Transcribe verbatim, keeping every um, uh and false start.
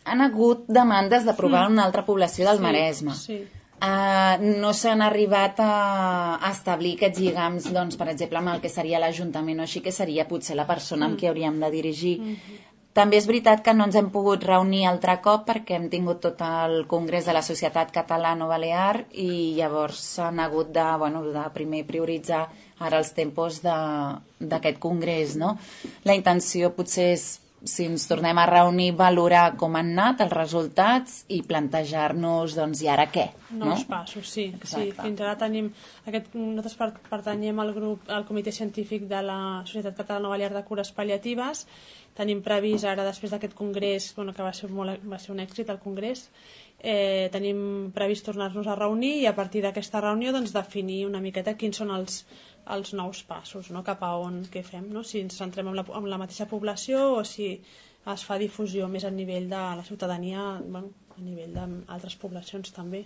han hagut demandes d'aprovar mm. una altra població del sí, Maresme. Sí. Uh, no s'han arribat a, a establir aquests lligams, doncs, per exemple, amb el que seria l'Ajuntament o així, que seria potser la persona mm. amb qui hauríem de dirigir. Mm-hmm. També és veritat que no ens hem pogut reunir altre cop perquè hem tingut tot el Congrés de la Societat Catalano-Balear i llavors s'han hagut de, bueno, de primer prioritzar ara els tempos d'aquest congrés, no? La intenció potser és, si ens tornem a reunir, valorar com han anat els resultats i plantejar-nos, doncs, i ara què? Nous no? passos, sí. sí. Fins ara tenim... Aquest, nosaltres pertanyem al grup, al comitè científic de la Societat Catalana-Balear de Cures Pal·liatives. Tenim previst ara, després d'aquest congrés, bueno, que va ser, molt, va ser un èxit el congrés, eh, tenim previst tornar-nos a reunir i a partir d'aquesta reunió doncs, definir una miqueta quins són els, els nous passos, no? Cap a on, què fem, no? Si ens centrem en la, en la mateixa població o si es fa difusió més a nivell de la ciutadania, bueno, a nivell d'altres poblacions també.